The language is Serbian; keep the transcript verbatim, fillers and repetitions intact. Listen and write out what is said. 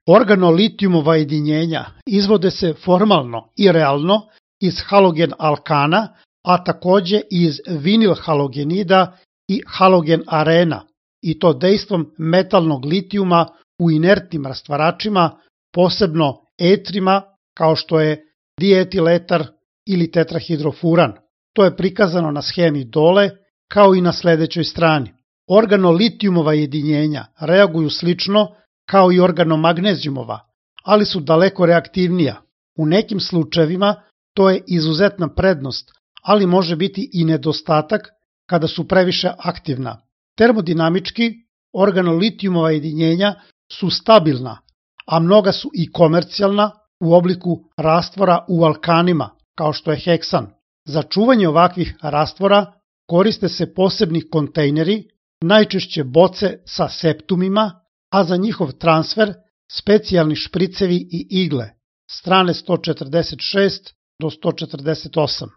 Organolitijumova jedinjenja izvode se formalno i realno iz halogen alkana, a takođe iz vinil halogenida i halogen arena, i to dejstvom metalnog litijuma u inertnim rastvaračima, posebno etrima kao što je dietiletar ili tetrahidrofuran. To je prikazano na schemi dole, kao i na sledećoj strani. Organolitijumova jedinjenja reaguju slično kao i organomagnezijumova, ali su daleko reaktivnija. U nekim slučajevima to je izuzetna prednost, ali može biti i nedostatak kada su previše aktivna. Termodinamički, organolitijumova jedinjenja su stabilna, a mnoga su i komercijalna u obliku rastvora u alkanima, kao što je heksan. Za čuvanje ovakvih rastvora koriste se posebni kontejneri, najčešće boce sa septumima, a za njihov transfer specijalni špricevi i igle, strane sto četrdeset šest do sto četrdeset osam.